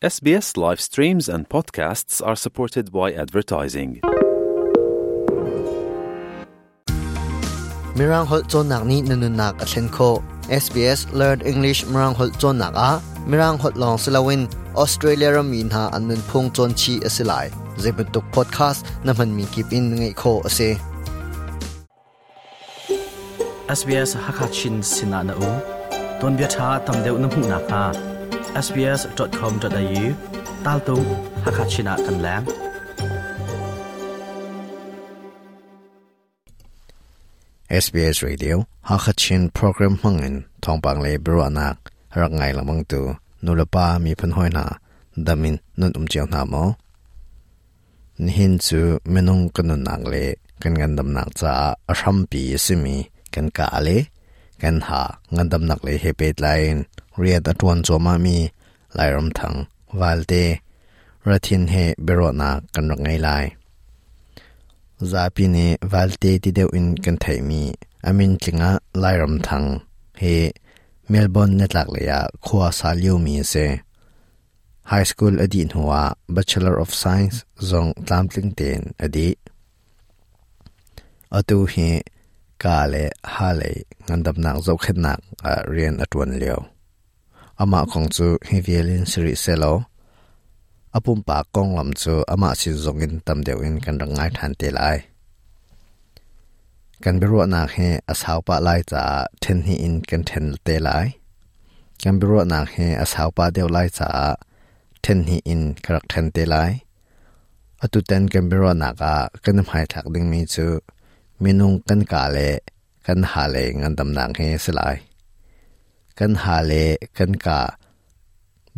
SBS live streams and podcasts are supported by advertising. Mirang holh cawnnak nih na nunnak a thlen khawh. SBS Learn English Mirang holh cawnnak ah Mirang holh lawng si loin Australia rammi hna an nunphung cawn chih a si lai. Zeibantuk podcast na hmanmi kip in ngaih khawh a si. SBS Hakachin sinah na um. Tuanbia ṭha tam deuh na hmuh nakhnga sbs.com.au taltung Hakachin ah kan leng. SBS Radio Hakachin program hmangin thawngpang le biaruahnak rak ngai lengmang tu nulepa miphun hawi hna damin nun um cio hna maw? Nihin cu minung kan nunnak le kan ngandamnak caah a hrampi a simi kan kaa le kan ha ngandamnak lei he pehtlai in rian a ṭuan cuahmahmi Lairamthang Valte Rathin he biaruahnak kan rak ngei lai. Zapi nih Valte ti deuh in kan theihmi a min tling ah Lairamthang hi Melbourne nitlaklei ah khua sa liomi a si. High school a dih hnuah Bachelor of Science zong tlamtling tein a dih. Atu hi ka le ha lei ngandamnak zohkhenhnak ah rian a ṭuan lio. Amah kong cu hi vial in si rih sehlaw a pumpak konglam cu amah sin zongin tam deuh in kan rak ngai ṭhan te lai. Kan biaruahnak hi a sau pah lai caah ṭhen hnih in kan ṭhen te lai. Kan biaruahnak hi a sau pah deuh lai caah ṭhen hnih in ka rak ṭhen te lai. Atutan kan biaruahnak ah kan i hmaithlak dingmi cu minung kan kaa le kan ha le ngandamnak hi a si lai. Kan ha le kan kaa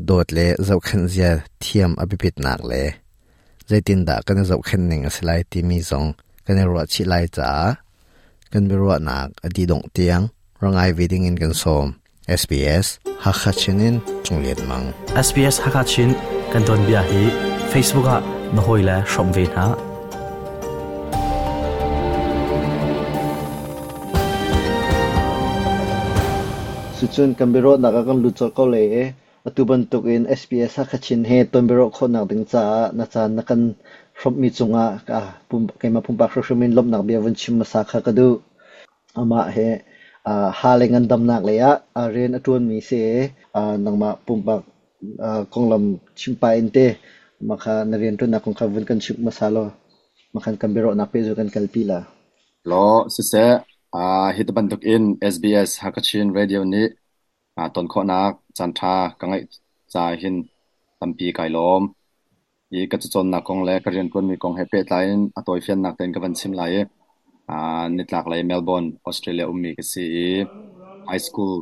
dawt le zohkhenh zia thiam a biapitnak le zeitindah kan i zohkhenh ning a si lai timi zong kan i ruah chih lai caah kan biaruahnak a dih dongh tiang ra ngai ve ding in kan sawm. SBS Hakha Chin in Cung Lian Mang. SBS Hakha Chin kan tuanbia hi Facebook ah na hawile hrawm ve hna. Cucun kan biaruahnak ah kan lut colh ko lai i atu bantukin SBS Hakha Chin he ton biaruah khawhnak ding caah na caan na kan hrawmhmi cungah keimah pumpak hrimhrim in lawmhnak bia vun chim hmasa kha ka duh. Amah hi ha le ngandamnak lei ah rian a ṭuanmi si i nangmah pumpak konglam chim pah in te mah kha na rianṭuannak kong kha vun kan chimh hmasa law mah khan kan biaruahnak pehzulh kan kalpi la. Law siseh, hi ti bantuk in SBS Hakachin Radio nih ton khawhnak caanṭha ka ngeih caah hin tampi kai lawm. Hi ka cacawnnak kong le ka rianṭuanmi kong he pehtlai in a tawifiannak tein ka van chim lai i nitlaklei Melbourne, Australia ummi ka si i high school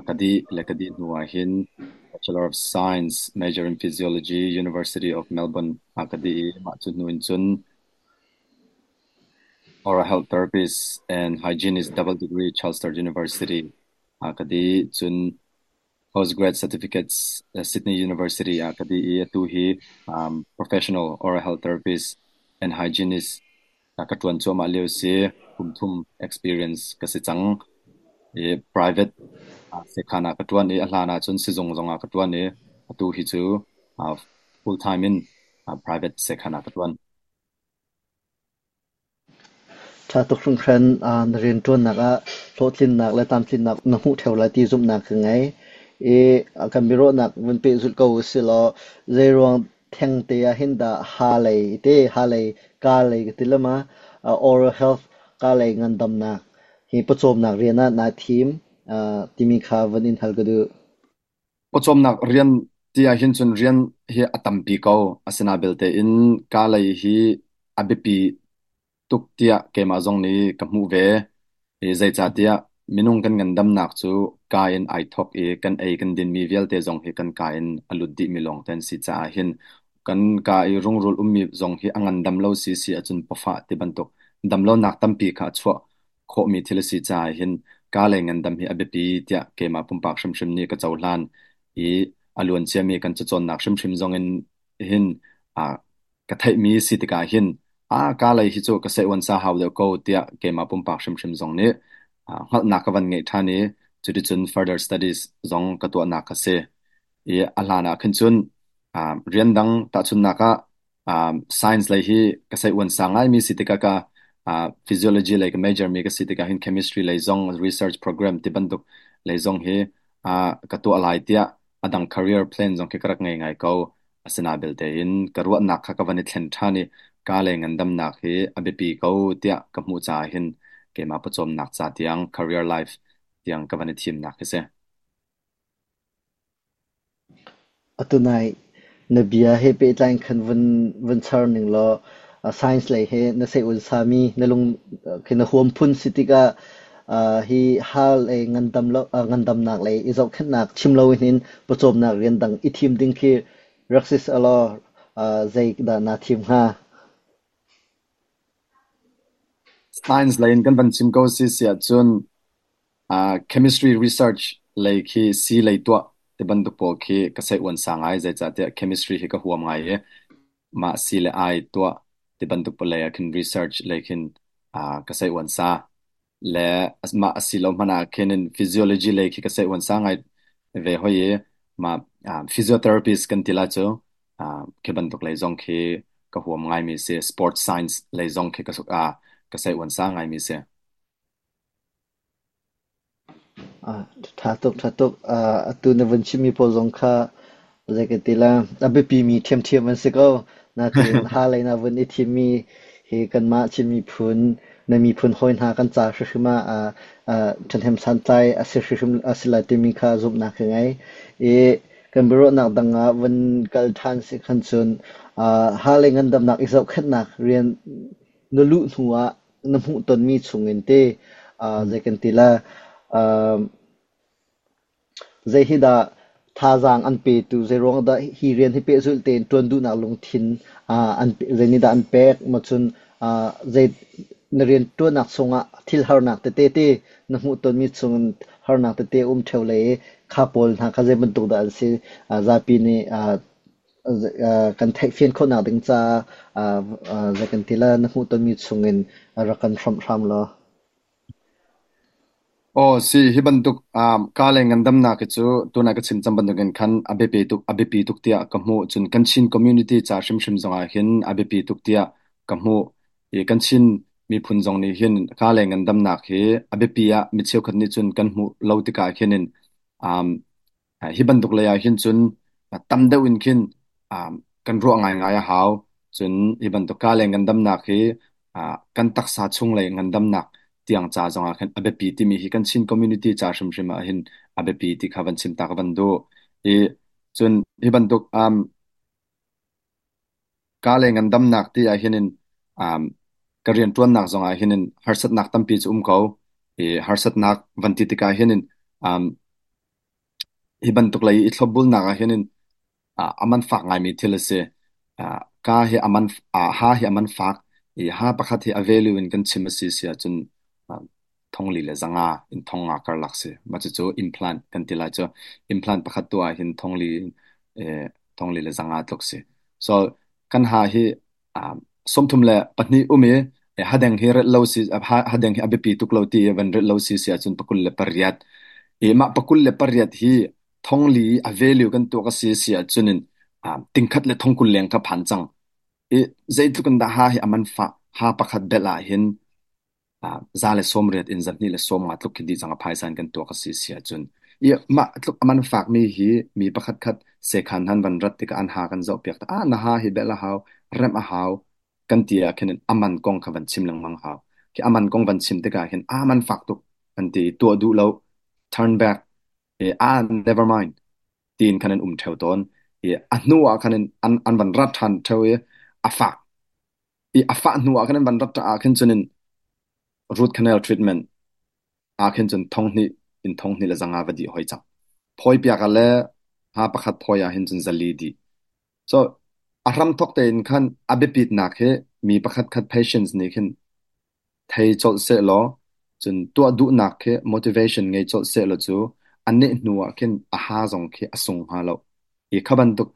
ka dih le ka dih hnu ah hin Bachelor of Science major in Physiology, University of Melbourne ah ka dih i mah cu hnu in cun Oral Health Therapist and Hygienist double degree Charles Sturt University ah ka dih. Cun postgrad certificates Sydney University ah ka dih i atu hi professional oral health therapist and hygienist ka ṭuan cuahmah lio si. Kum thum experience ka si cang. I private sekhan ah ka ṭuan i a hlan ah cun sizung zong ah ka ṭuan i atu hi cu full time in private sekhan ah ka ṭuan. Ṭha tuk hringhran na rianṭuannak ah hlawhtlinnak le tlamtlinnak na hmuh ṭheo lai ti zumhnak ka ngei. I kan biaruahnak vun pehzulh ko usih law zeiruang thengte ah hin dah ha lei te ha lei kaa lei ka ti lema oral health kaa lei ngandamnak hi pawcawmnak rian ah naa thim timi kha vun in hal ka duh. Pawcawmnak rian ti ahhin cun rian hi a tampi ko. Asinain belte in kaa lei hi a biapi tuk tiah keimah zong nih ka hmuh ve. I zeicahtiah minung kan ngandamnak cu kaa in ai thawk i kan ei kan dinmi vialte zong hi kan kaa in a lut dihmi lawngte an si caah hin kan kaa i rungrul ummi zong hi a ngandam lo si si ahcun pawfah ti bantuk damlonak tampi kha a chuah khawhmi thil a si caah hin kaa lei ngandam hi a biapi tiah keimah pumpak hrimhrim nih ka cohlan i a luanciami kan cacawnnak hrimhrim zong in hin ka theihmi si tikah hin kaa lei hi cu ka seh-uan sa hau deuh ko tiah keimah pumpak hrimhrim zong nih hngalhnak ka van ngeih ṭhan i cuticun further studies zong ka tuahnak a si. I a hlan ah khin cun Rian dang tahchunhnak ah science lei hi ka sei uan sang ngaimi si tikah ka physiology lei ka major mi ka si tikah hin chemistry lei zong research program ti bantuk lei zong hi ka tuah lai tiah a dang career plan zong khi ka rak ngei ngai ko. Asina belte in ka ruahnak kha ka van i thlen ṭhan i ka le ngandamnak hi a biapi ko tiah ka hmuh caah hin keimah pawcawmnak ca tiang career life tiang ka van i thimnak hi si. Atu nai na bia he pehtlai in khan vun char ning law science lei he na seh-un sami na lung khi na huam phun si tikah hi hal lei ngandam lo ngandamnak lei i zohkhenhnak chim lo in pawcawmnak rian dang i thim ding khi rak si selaw zei dah naa thim hnga? Science lei in kan van chim ko si si ahcun Chemistry research lei khi sii lei tuah ti bantuk pawl khi ka sei uan sang ngai. Zeicahtiah chemistry hi ka huam ngai i mah sii le ai tuah ti bantuk pawl lei ah khin research lei khin ka sei uan sa. Le mah a si lo hmanh ah khin in physiology lei khi ka sei uan sa ngai ve hoi i mah physiotherapist kan ti lai cu khi bantuk lei zong khi ka huam ngaimi si. Sport science lei zong khi ka sei uan sa ngaimi si. Ṭha tuk, ṭha tuk. Atu na vun chimmi pawl zong kha zei ka ti la, a biapimi ṭhiamṭhiam an si ko. Natein ha lei na vun i thimmi hi kanmah Chin miphun, na miphun hawi hna kan ca hrimhrim ah ṭhahnem santlai a si hrimhrim a si lai timi kha zumhnak ka ngei. I kan biaruahnak dang ah vun kal ṭhan si khan cun ha lei ngandamnak i zohkhenhnak rian na luh hnu ah na hmuhtonmi chungin te zei kan ti la zei hi dah thazaang an petu zei ruang dah hi rian hi pehzulh tein ṭuan duhnak lungthin an zei nih dah an pek ma cun zei na rian ṭuannak chungah thil harnak tete te na hmuhtonmi chungin harnak tete um ṭheo le i kha pawl hna kha zei bantuk dah an si zapi nih kan theihfian khawhnak ding caah zei kan ti la na hmuhtonmi chungin rak kan hrawmh hram law. Aw si, hi bantuk ka le ngandamnak hi cu tunah ka chim cang bantukin khan a biapi tuk tiah ka hmuh. Cun kan Chin community ca hrimhrim zongah hin a biapi tuk tiah ka hmuh. I kan Chin miphun zong nih hin ka le ngandamnak hi a biapi ah mi cheukhat nih cun kan hmuh lo tikah khin in Hi bantuk lei ah hin cun tam deuh in khin kan ruah ngaingai a hau. Cun hi bantuk ka le ngandamnak hi kan taksa chunglei ngandamnak tiang ca zongah khin a biapi timi hi kan Chin community ca hrimhrim ah hin a biapi ti kha van chim ta ka van duh. I cun hi bantuk ka le ngandamnak ti ah hin in ka rianṭuannak zongah hin in harsatnak tampi cu um ko. I harsatnak van ti tikah hin in Hi bantuk lei i thlopbulnak ah hin a man fak ngaimi thil a si. Ka hi a man ha hi a man fak i ha pakhat hi a value in kan chim a si si ahcun thongli le zanga in thongnga karlak si. Mah cucu implant kan ti lai cu. Implant pakhat tuah ah hin thongli le zanga tluk si. So kan ha hi 32 um i hadeng hi relh lo si hadeng hi a biapi tuk lo ti i van relh lo si si ahcun 28 i mah 28 hi thongli i a value kan tuak a si si ahcun in tingkhat le thongkul leng kha phan cang i zeitluk in dah ha hi a man fah ha pakhat belh ah hin 180 in 250 tluk khi dih cang a phaisa in kan tuak a si si ahcun i mah tluk a man fakmi hi mi pakhat khat sekhan han van rat tikah an ha kan zoh piak ah na ha hi belh a hau remh a hau kan ti ah khin a man kong kha van chim lengmang hau khi a man kong van chim tikah hin a man fak tuk an ti tuah duh lo turn back i ah never mind tiin khan an um theo tawn i a hnu ah khan an an van rat ṭhan theo i a fak i a fah hnu ah khan an van rat ah khin cun in root canal treatment ah khin cun 2000 in 2500 va dih hoi cang. Phawi piak ah le ha pakhat phawi ah hin cun 400 dih. So a hramthawk tein khan a biapitnak hi mi pakhat khat patients nih khin thei colh sehlaw cun tuah duhnak khi motivation ngei colh sehlaw cu a neh hnu ah khin a ha zong khi a sung hnga lo. Hi kha bantuk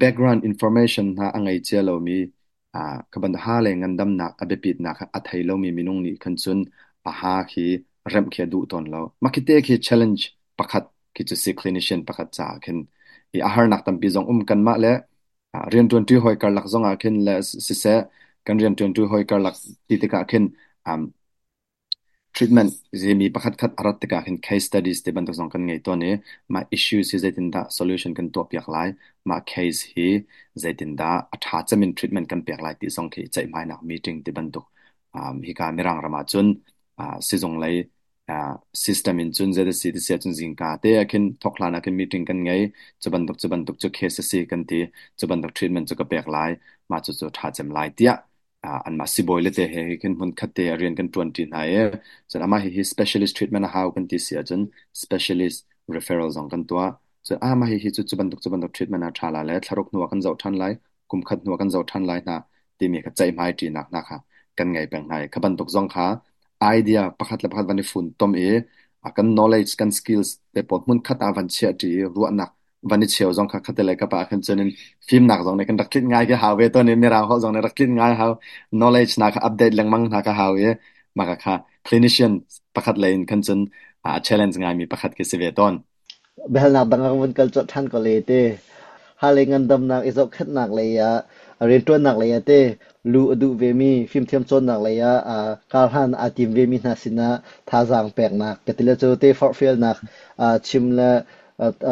background information hna a ngei cia lomi kha bantuk ha le ngandamnak a biapitnak kha a thei lomi minung nih khan cun a ha khi remh khi a duh tawn lo. Mah khi te khi challenge pakhat khi cu si clinician pakhat caah khin. I a harnak tampi zong um kanmah le rianṭuanṭi hawi karlak zong ah khin le siseh kan rianṭuanṭi hawi karlak ti tikah khin treatment mi pakhat khat a rat tikah khin case studies ti bantuk zong kan ngei tawn i mah issues hi zeitindah solution kan tuahpiak lai, mah case hi zeitindah a ṭha cem in treatment kan pek lai ti zong khi ceihmainak meeting ti bantuk hika Mirang ram ah cun sizung lei system in cun zei a si ti si ahcun zingka te ah khin thawk hlan ah khin meeting kan ngei. Cu bantuk cu bantuk cu case a si kan ti. Cu bantuk treatment cu ka pek lai. Mah cucu ṭha cem lai tiah anmah sibawi le te he khin hmun khat te ah rian kan ṭuanṭi hna i cun amah hihi specialist treatment a hau kan ti si ahcun specialist referral zong kan tuah. Cun amah hihi cu cu bantuk cu bantuk treatment a ṭha la le thlaruk hnu ah kan zoh ṭhan lai, kum khat hnu ah kan zoh ṭhan lai hna timi kha ceihmai ṭinak hna kha kan ngei peng hna i kha bantuk zong kha idea pakhat le pakhat van i funtom i kan knowledge kan skills te pawl hmun khat ah van chiah ṭi i ruahnak van i cheu zong kha khatte le kapa ah khan cun in fimnak zong nih kan rak tlinh ngai khi hau ve tawn i mirang holh zong nih rak tlinh ngai hau knowledge na kha update lengmang hna kha hau i mah kha clinician pakhat lei in khan cun a challenge ngaimi pakhat khi si ve tawn. Biahalnak dang ah vun kal colh ṭhan ko le ti. Halei ngandamnak i zohkhenhnak lei ah rianṭuannak lei ah te luh a duh vemi fimthiam cawnnak lei ah karhlan aa tim vemi hna sinah thazaang peknak ka ti le cu te forhfialnak chim le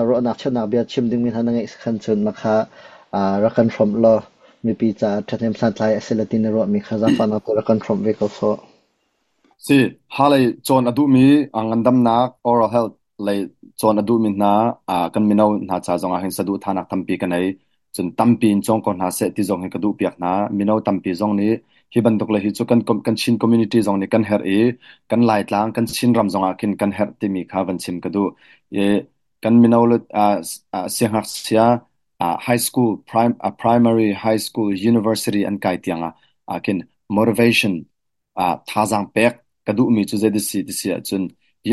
ruahnak cheuhnak bia chim dingmi hna na ngeih khan cun na kha rak kan hrawmh law mipi caah ṭhahnem santlai a si le ti na ruahmi kha zaangfahnak te rak kan hrawmh ve ko sawh. Si, halei cawn a duhmi ngandamnak oral health lei cawn a duhmi hna kan mino hna ca zong ah hin saduhthahnak tampi ka nei. Cun tampi in cawng ko hna seh ti zong hi ka duhpiak hna. Mino tampi zong nih hi bantuk le hi cu kan Chin community zong nih kan herh i kan Laitlang, kan Chinram zong ah khin kan herh timi kha van chim ka duh. I kan mino le siangngakchia high school, primary, high school, university an kai tiang ah khin motivation thazaang pek ka duhmi cu zei si ti si ahcun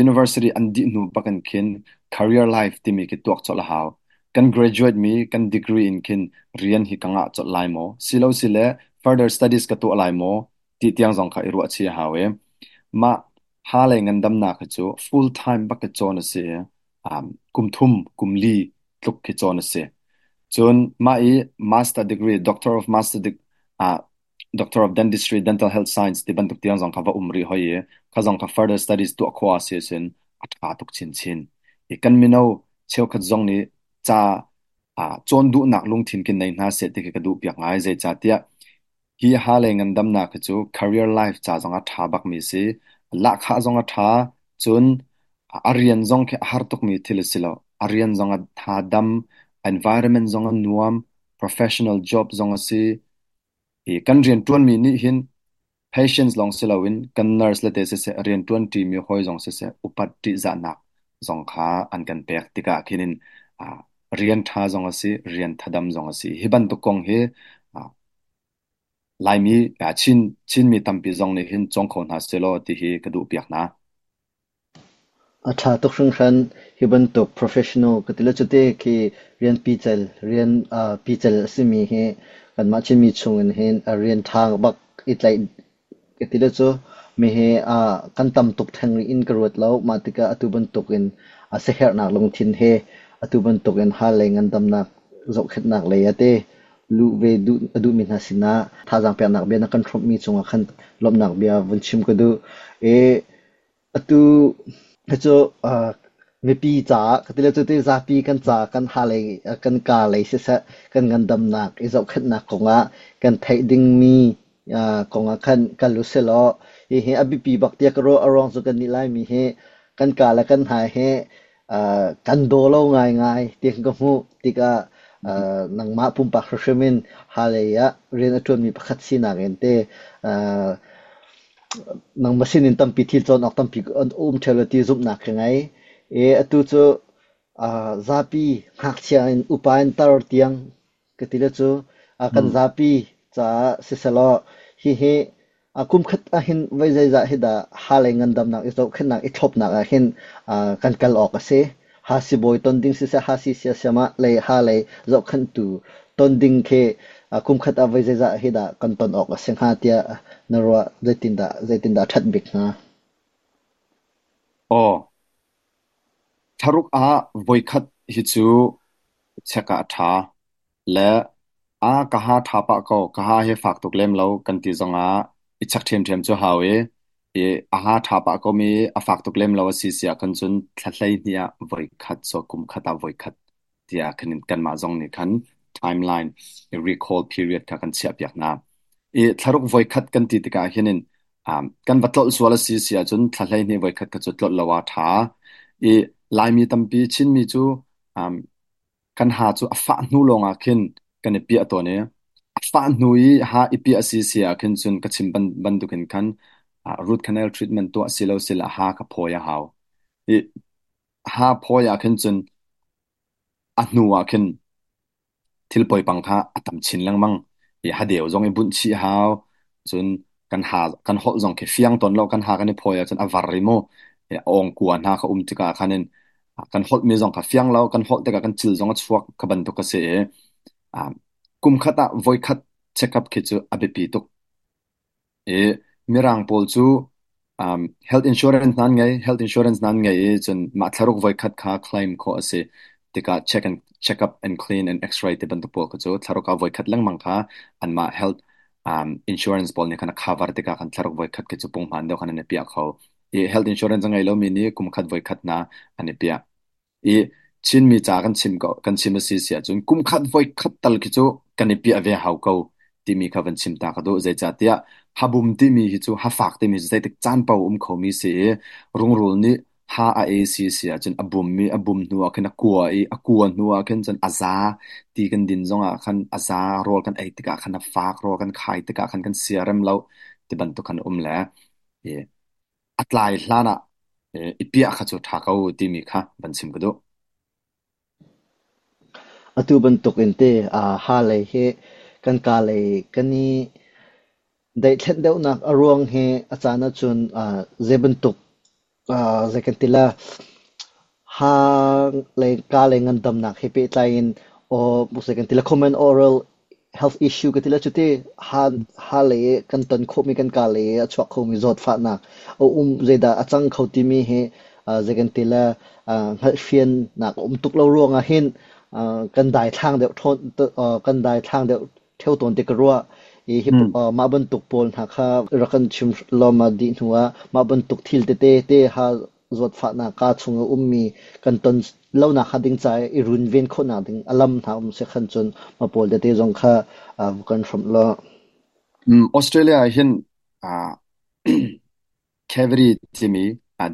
university an dih hnu bak in khin career life timi khi tuak colh a hau. Kan graduate mi kan degree in khin rian hi ka ngah colh lai maw? Silo sile further studies ka tuah lai maw? Ti tiang zong kha i ruah chih a hau i mah ha lei ngandamnak hi cu full time bak i cawn a si i kum thum kum li tluk khi cawn a si. Cun mah i master degree, doctor of master Doctor of Dentistry, Dental Health Science ti bantuk tiang zong kha va um rih hoi i kha zong kha further studies tuah khawh a si ahcun a ṭha tuk chinchin. I kan mino cheukhat zong nih ca cawn duhnak lungthin kin nei hna seh ti khi ka duh piak ngai. Zeicahtiah hi ha le ngandamnak hi cu career life ca zong a ṭha bakmi si. Lahkhah zong a ṭha. Cun a rian zong khi a har tukmi thil a si lo. A rian zong a tha dam, environment zong a nuam, professional job zong a si. Hi kan rianṭuanmi nih hin patients lawng si loin kan nurse le te siseh rianṭuanṭimi hawi zong siseh upat ṭihzahnak zong kha an kan pek tikah khin in rian ṭha zong a si, rian thadam zong a si. Hi bantuk kong hi Laimi, Chinmi tampi zong nih hin cawng kho hna sehlaw ti hi ka duhpiak hna. A ṭha tuk hringhran. Hi bantuk professional ka ti le cute khi rian pical, rian pical a simi hi kanmah Chinmi chungin hin a rian ṭha bak i tlaih ka ti le cu mi hi kan tam tuk theng rih in ka ruat lo. Mah tikah atu bantukin a siaherhnak lungthin he atu bantukin hal lei ngandamnak zohkhenhnak lei ah te luh ve duh a duhmi hna sinah thazaang peknak bia na kan hrawmhmi cungah khan lawmhnak bia vun chim ka duh. I Atu hi cu mipi caah ka ti le cuti zapi kan ca kan ha lei kan kaa lei siseh kan ngandamnak i zohkhenhnak kongah kan theih dingmi kongah khan kal u silaw hihi a biapi bak tiah ka ruah. A ruang cu kannih Laimi hi kan kaa le kan hmai hi kan daw lo ngaingai ti ka hmuh tikah nangmah pumpak hrimhrim in ha lei ah rian a ṭuanmi pakhat sinak in te Nangmah sinin tampi thil cawn awk tampi an um ṭheo lo ti zumhnak ka ngei. I atu cu zapi ngakchia in upa in tar tiang ka ti le cu kan zapi caah sisehlaw hihi kum khat ahhin voi zeizah hi dah ha lei ngandamnak i zohkhenhnak i thlopnak ah hin kan kal awk a si. Ha sibawi ton ding siseh, ha si siasiam ah lei ha lei zohkhenhtu ton ding khi kum khat ah voi zeizah hi dah kan ton awk a si hnga tiah na ruah? Zeitindah zeitindah a ṭhat bik hnga? Aw, thlaruk ah voikhat hi cu check ah a ṭha. Le a ka ha ṭha pah ko, ka ha hi fak tuk lem lo kan ti zongah i check ṭhiamṭhiam cu hau i, i a ha ṭha pah komi a fak tuk lem lo a si si ahkhan cun thla 12 ah voikhat so kum khat ah voikhat tiah khan kanmah zong nih khan timeline i recall period kha kan chiahpiak hna. I thlaruk voikhat kan ti tikah hin in kan va tlolh sual a si si ahcun thla 12 voikhat kha cu tlolh lo ah ṭha. I Laimi tampi Chinmi cu kan ha cu a fah hnu lawngah khin kan i piah tawn i a fah hnu i ha i piah a si si ah khin cun ka chim bantukin khan root canal treatment tuah si lo sila ha ka phawi a hau. I ha phawi ah khin cun a hnu ah khin thil poipang kha a tam chin lengmang i hadeu zong i bunh chih hau cun kan ha kan holh zong khi fiang tawn lo kan ha kan i phawi ahcun a var i mu awng kua hna kha um tikah khan in kan holh mi zong kha fiang lo kan holh tikah kan cil zong a chuak kha bantuk a si i kum khat ah voikhat check up khi cu a biapi tuk. I Mirang pawl cu health insurance nan ngei, health insurance nan ngei i cun mah thlaruk voikhat kha claim khawh a si. Tikah check and check up and clean and x-ray ti bantuk pawl kha cu thlaruk ah voikhat lengmang kha anmah health insurance pawl nih khan a cover tikah khan thlaruk voikhat khi cu punghman deuh khan an i piah kho. I health insurance a ngei lomi nih kum khat voikhat hna an i piah. I Chinmi ca kan chim ko kan chim a si si ahcun kum khat voi khat tal khi cu kan i piah ve hau ko timi kha van chim ta ka duh. Zeicahtiah habum timi hi cu hafak timi cu zeitik caan paoh um khomi si i rungrul nih ha a ei si si ahcun a bum i a bum hnu ah khin a kua i a kua hnu ah khin cun a za ti kan din zongah khan a za rawl kan ei tikah khan a fak rawl kan khai tikah khan kan siarem lo ti bantuk khan um le i a tlai hlan ah i piah kha cu ṭha ko timi kha van chim ka duh. Atu bantuk in te ha lei hi kan ka lei kan i daihthlenh deuhnak a ruang hi a caan ahcun zei bantuk zei kan ti la ha lei ka lei ngandamnak he pehtlai in aw zei kan ti la common oral health issue ka ti le cuti ha lei i kan ton khawhmi kan ka lei i a chuak khomi zawtfahnak a um zeidah a cang kho timi hi zei kan ti le hngalhfiannak a um tuk lo ruangah hin kan daithlang deuh ṭhawn kan daithlang deuh ṭheo tawn ti ka ruah i hi mah bantuk pawl hna kha rak kan chim lawm a dih hnu ah mah bantuk thil tete te ha zawtfahnak kaa chung a ummi kan ton lonak hnga ding ca i runven khawhnak ding a lam hna um si khan cun mah pawl tete zong kha kan hrawmh law. Australia ah hin cavity timi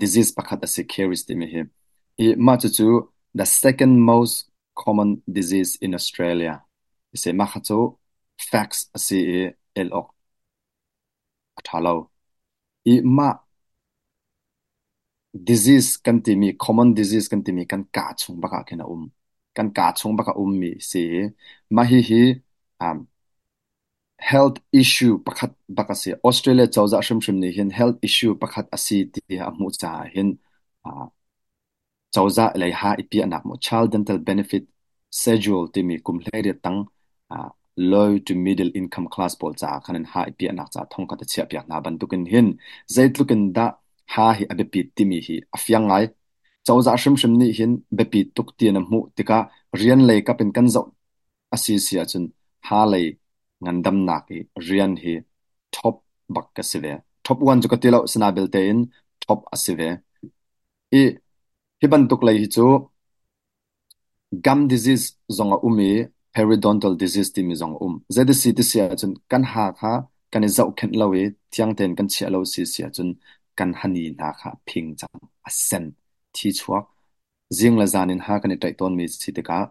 disease pakhat a si caries timi hi. I mah cucu the second most common disease in Australia. Si mah kha cu facts a si i el awk a ṭha lo. I mah disease kan timi common disease kan timi kan kaa chung bak ah khin a um. Kan kaa chung bak a ummi si i mah hihi health issue pakhat bak a si. Australia cozah hrimhrim nih hin health issue pakhat a si ti a hmuh caah hin Cozah lei ha i piahnak maw Child Dental Benefit Schedule timi kum 18 tang low to middle income class pawl caah khan in ha i piahnak caah thongkhat a chiahpiak hna bantukin hin zeitluk in dah ha hi a biapit timi hi a fiang ngai. Cozah hrimhrim nih hin biapi tuk ti in a hmuh tikah rian lei kap in kan zoh a si si ahcun ha lei ngandamnak i rian hi top bak ka si ve. Top one cu ka ti lo, sinabelte in top a si ve. I hi bantuk lei hi cu gum disease zong a um i periodontal disease timi zong a um. Zeiti ti si ahcun kan ha kha kan i zohkhenh lo i thiang tein kan chiah lo si si ahcun kan hani hna kha a phing cang, a sen, thi chuak. Zing le zan in ha kan i ṭaih tawnmi si tikah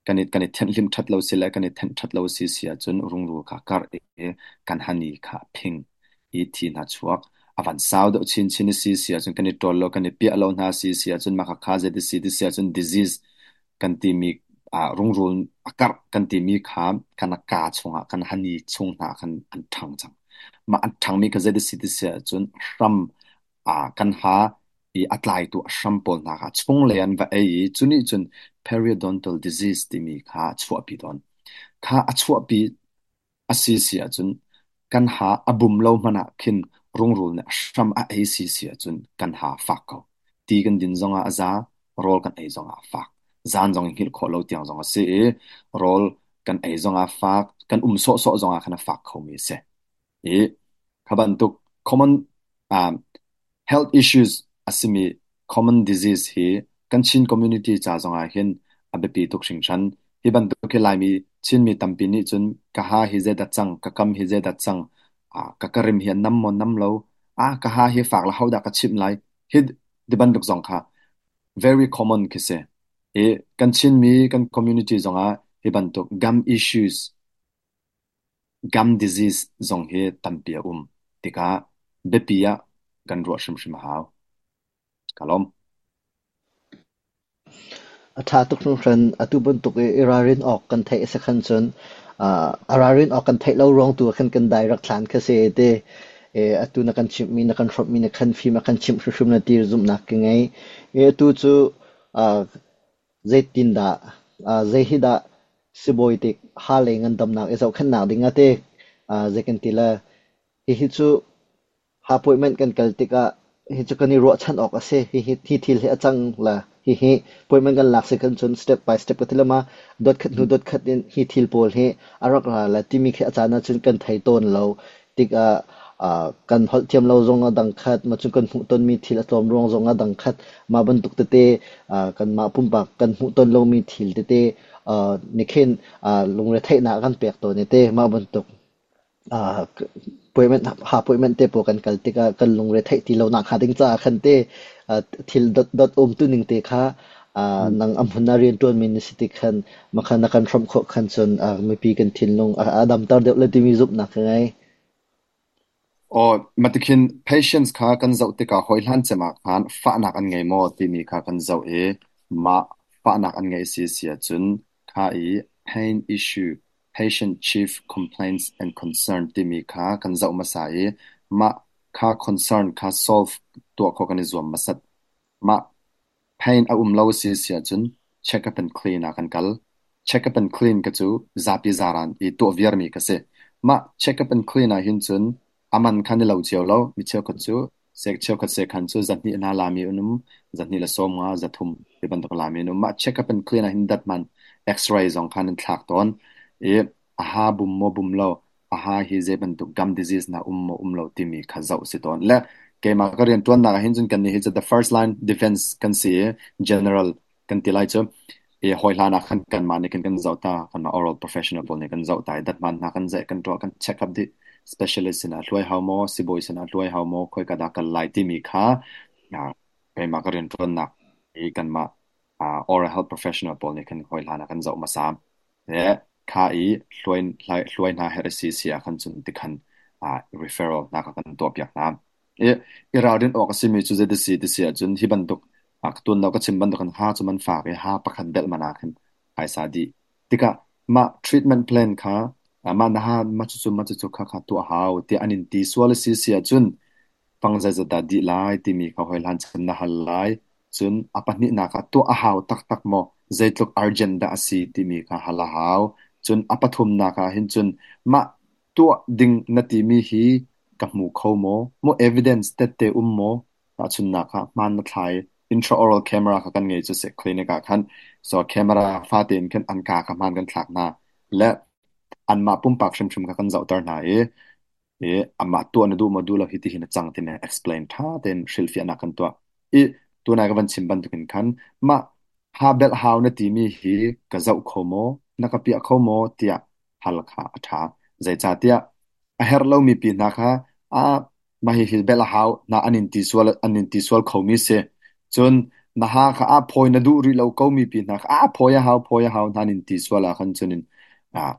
kan i thenhhlimh ṭhat lo si le kan i thenh ṭhat lo si si ahcun rungrul kha karh i kan hani kha a phing i thi hna chuak. A van sau deuh chinchin i si si ahcun kan i ṭawl lo, kan i piah lo hna si si ahcun mah khakha zeiti si ti si ahcun disease kan timi rungrul a karh kan timi kha kan kaa chungah kan hani chung hna khan an ṭhang cang. Mah an ṭhangmi kha zeiti si ti si ahcun hram kan ha i a tlaitu a hram pawl hna kha chunglei an va ei i cu nih cun periodontal disease timi kha a chuahpi tawn. Kha a chuahpi a si si ahcun kan ha a bum lo hmanh ah khin rungrul nih a hram a ei si si ahcun kan ha a fak ko. Ti kan din zongah a za, rawl kan ei zongah a fak. Zan zong i hngilh khawh lo tiang zong a si i rawl kan ei zong ah fak, kan um sawhsawh zong ah khan a fak khomi a si. I kha bantuk common health issues a simi common disease hi kan Chin community ca zong ah hin a biapi tuk hringhran. Hi bantuk hi Laimi Chinmi tampi nih cun ka ha hi zeidah cang, ka kam hi zeidah cang, ka ka rim hi a nam maw nam lo, ka ha hi fak le hodah ka chimh lai, hi ti bantuk zong kha very common khi si. I kan Chinmi kan community zongah hi bantuk gum issues, gum disease zong hi tampi a um tikah biapi ah kan ruah hrimhrim a hau. Ka lawm. A ṭha tuk hringhran. Atu bantuk i i ralrin awk kan theih a si khan cun a ralrin awk kan theih lo ruang tu ah khan kan dai rak thlan kha si ti. Atu na kan chimhmi, na kan hrawmhmi na khan fim a kan chimh hrimhrim na ti zumhnak ka ngei. Atu cu zeitindah, zei hi dah sibawi tik ha lei ngandamnak i zohkhenhnak ding ah ti zei kan ti le hihi cu appointment kan kal tikah hi cu kan i ruahchan awk a si. Hihi hi thil hi a cang la hihi appointment kan lak si kan cun step by step ka ti lama dot khat hnu dot khat in hi thil pawl hi a rak ra la timi khi a caan ahcun kan thei tawn lo tikah kan holh thiam lo zong a dang khat ma cun kan hmuh tonmi thil a tlawm ruang zong a dang khat mah bantuk tete kanmah pumpak kan hmuh ton lomi thil tete nikhin lungretheihnak kan pek tawn i te mah bantuk appointment te pawl kan kal tikah kan lungre theih ti lonak hnga ding caah khan te thil dot um tu ning te kha nang a hmun ah rianṭuanmi na si tik khan makhan na kan hrawmh khawh khan cun mipi kan thinlung a damter deuh le timi zumhnak ka ngei. Aw, matikhin patients kha kan zoh tikah hawihlan cem ah khan fahnak an ngei maw timi kha kan zoh i mah fahnak an ngeih si si ahcun kha i pain issue Patient Chief Complaints and Concern timi kha kan zoh hmasa i mah kha concern kha solve tuah khawh kan i zuam hmasat. Mah pain a um lo a si si ahcun check-up and clean ah kan kal. Check-up and clean ka cu zapi zaran i tuah viarmi ka si. Mah check-up and clean ah hin cun a man kha ni lo cio lo. Mi cheukhat cu cheukhat sekhan cu zahnih hna lami an um, zahnih le 50, 300 ti bantuk lami an um. Mah check-up and clean ah hin dat man X-ray zong khan an thlak tawn. I a ha bum maw bum lo, a ha hi zei bantuk gum disease na um maw um lo timi kha zoh si tawn. Le keimah ka rian ṭuannak ah hin cun kannih hi cu the first line defense kan si i general kan ti lai cu i hawi hlan ah khan kanmah nih khan kan zoh ta kanmah oral professional pawl nih kan zoh ta i datman hna kan zeih kan tuah kan check up dih specialist sinah hluai hau maw sibawi sinah hluai hau maw khoi ka dah kal lai timi kha keimah ka rianṭuannak i kanmah oral health professional pawl nih khan hawi hlan ah kan zoh hmasa le kha i hluai hluai hna herh si si ah khan cun tikhan referral hna kha kan tuah piak hna. I ralrin awk a simi cu zei si ti si ahcun hi bantuk ka tuan lo ka chim bantuk in ha cu man fak i ha pakhat belh man ah khin phaisa dih. Tikah mah treatment plan kha mah na ha mah cucu mah cucu kha kha tuah hau tiah an in ti sual a si si ahcun fang zeizat dah dih lai timi kha hawihlan chan na hal lai. Cun a pahnihnak ah tuah a hau taktak maw? Zeitluk urgent dah a si timi kha hal a hau. Cun a pathumnak ah hin cun mah tuah ding na timi hi ka hmu kho maw? Maw evidence tette um maw? Tahchunhnak ah hmaan na thlai intraoral camera kha kan ngei cu seh clinic ah khan. So camera fate in khan an ka kha hmaan kan thlak hna. Le anmah pumpak hrimhrim kha kan zohter hna i i amah tuah na duh maw duh lo hi ti hin a cang timi explain ṭha tein hrilhfiahnak kan tuah. I tunai ka van chim bantukin khan mah ha belh hau na timi hi ka zoh kho maw? Na ka piah kho maw? tiah hal kha a ṭha. Zeicahtiah a herh lomi pi hna kha ah mah hihi belh a hau na an in ti sual an in ti sual khomi si. Cun na ha kha ah phawi na duh rih lo komi pi hna kha ah phawi a hau phawi a hau hna an in ti sual ah khan cun in ah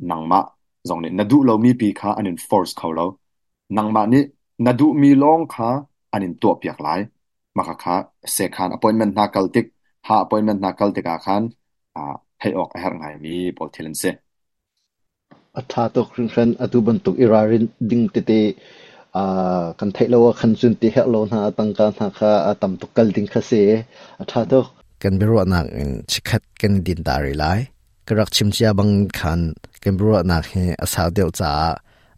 nangmah zong nih na duh lomi pi kha an in force kho lo. Nangmah nih na duhmi lawng kha an in tuahpiak lai. Mah kha sekhan appointment hna kal tik ha appointment hna kal tikah khan theih awk a herh ngaimi pawl thil an si. A ṭha tuk hringhran. Atu bantuk i ralrin ding tete kan theih lo ahkhan cun ti herh lo hna tangka hna kha a tam tuk kal ding kha si. A ṭha tuk. Kan biaruahnak in chikkhat kan i din ta rih lai. Ka rak chim cia bang khan kan biaruahnak hi a sau deuh caah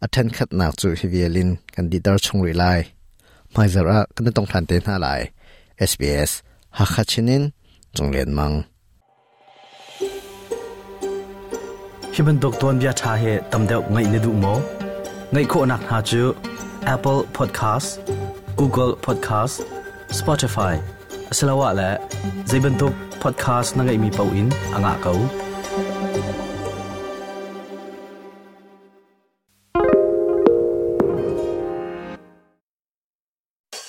a ṭhenkhatnak cu hi vial in kan dihter chung rih lai. Hmaizarh ah kan i tong ṭhan te hna lai. SBS Hakha Chin in Cung Lian Mang. Hi bantuk tuanbia ṭha hi tam deuh ngaih na duh maw? Ngaih khawhnak hna cu Apple Podcast, Google Podcast, Spotify asiloah le zei bantuk podcast na ngeihmi paoh in a ngah ko.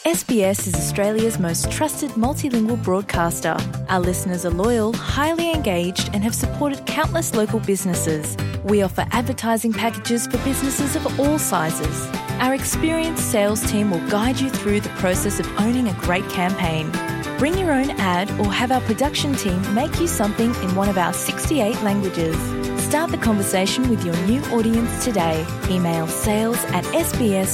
SBS is Australia's most trusted multilingual broadcaster. Our listeners are loyal, highly engaged, and have supported countless local businesses. We offer advertising packages for businesses of all sizes. Our experienced sales team will guide you through the process of owning a great campaign. Bring your own ad or have our production team make you something in one of our 68 languages. Start the conversation with your new audience today. Email sales at sbs.com.au.